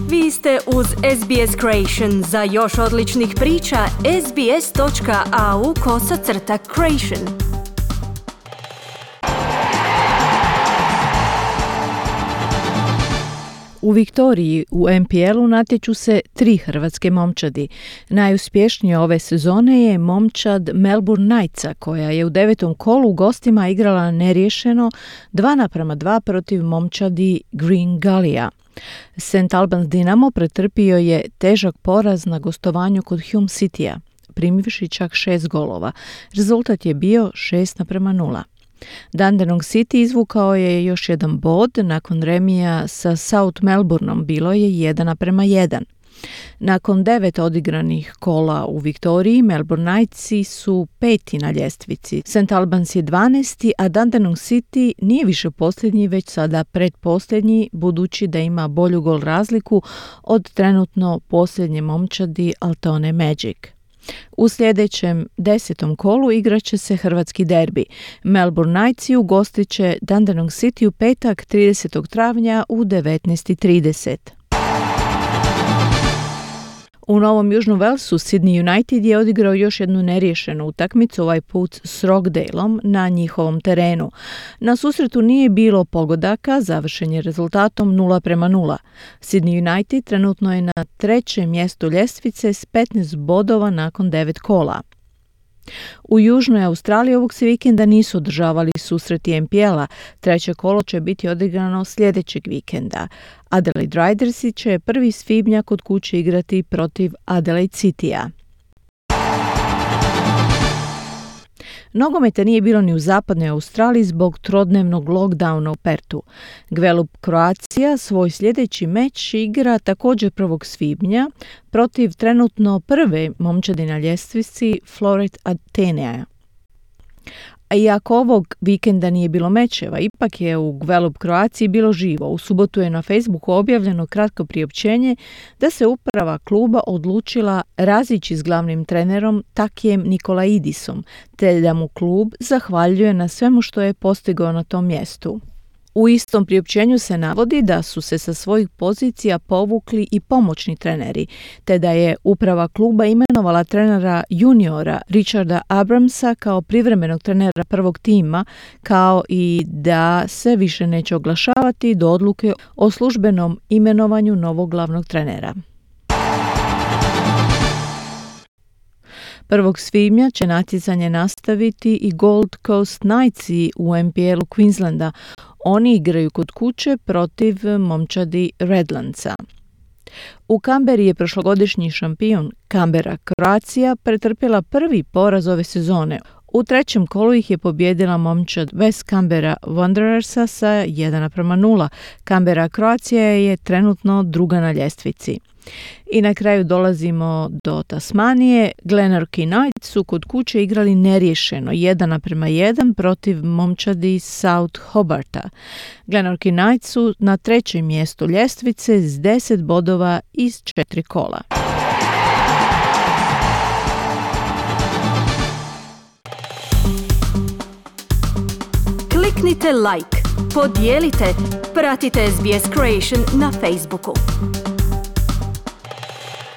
Vi ste uz SBS Creation. Za još odličnih priča, sbs.au/creation. U Viktoriji u NPL-u natječu se 3 hrvatske momčadi. Najuspješnija ove sezone je momčad Melbourne Knightsa, koja je u 9. kolu u gostima igrala neriješeno 2:2 protiv momčadi Green Gullija. St. Albans Dinamo pretrpio je težak poraz na gostovanju kod Hume Citya, primivši čak 6 golova. Rezultat je bio 6:0. Dandenong City izvukao je još jedan bod nakon remija sa South Melbourneom, bilo je 1:1. Nakon 9 odigranih kola u Viktoriji, Melbourne Knightsi su 5. na ljestvici. St. Albans je 12. a Dandenong City nije više posljednji, već sada predposljednji, budući da ima bolju gol razliku od trenutno posljednje momčadi Altona Magic. U sljedećem 10. kolu igraće se hrvatski derbi. Melbourne Knightsi ugostit će Dandenong City u petak 30. travnja u 19:30. U Novom Južnom Walesu Sydney United je odigrao još jednu neriješenu utakmicu, ovaj put s Rockdaleom na njihovom terenu. Na susretu nije bilo pogodaka, završen je rezultatom 0:0. Sydney United trenutno je na 3. mjestu ljestvice s 15 bodova nakon 9 kola. U Južnoj Australiji ovog se vikenda nisu održavali susreti NPL-a. 3. kolo će biti odigrano sljedećeg vikenda. Adelaide Ridersi će 1. svibnja kod kuće igrati protiv Adelaide Citya. Nogometa nije bilo ni u zapadnoj Australiji zbog trodnevnog lockdowna u Pertu. Gwelup Croatia svoj sljedeći meč igra također 1. svibnja protiv trenutno prve momčadi na ljestvici Floret Atenea. A iako ovog vikenda nije bilo mečeva, ipak je u Gwelup Croatiji bilo živo. U subotu je na Facebooku objavljeno kratko priopćenje da se uprava kluba odlučila razići s glavnim trenerom Takijem Nikolaidisom, te da mu klub zahvaljuje na svemu što je postigao na tom mjestu. U istom priopćenju se navodi da su se sa svojih pozicija povukli i pomoćni treneri, te da je uprava kluba imenovala trenera juniora Richarda Abramsa kao privremenog trenera prvog tima, kao i da se više neće oglašavati do odluke o službenom imenovanju novog glavnog trenera. 1. svibnja će natjecanje nastaviti i Gold Coast Knightsi u NPL-u Queenslanda. Oni igraju kod kuće protiv momčadi Redlandsa. U Kamberi je prošlogodišnji šampion Canberra Croatia pretrpjela prvi poraz ove sezone. U 3. kolu ih je pobijedila momčad West Canberra Wanderersa sa 1:0. Canberra Croatia je trenutno 2. na ljestvici. I na kraju dolazimo do Tasmanije. Glenorchy Knights su kod kuće igrali neriješeno 1:1 protiv momčadi South Hobarta. Glenorchy Knights su na 3. mjestu ljestvice s 10 bodova iz 4 kola. Kliknite like, podijelite, pratite SBS Creation na Facebooku.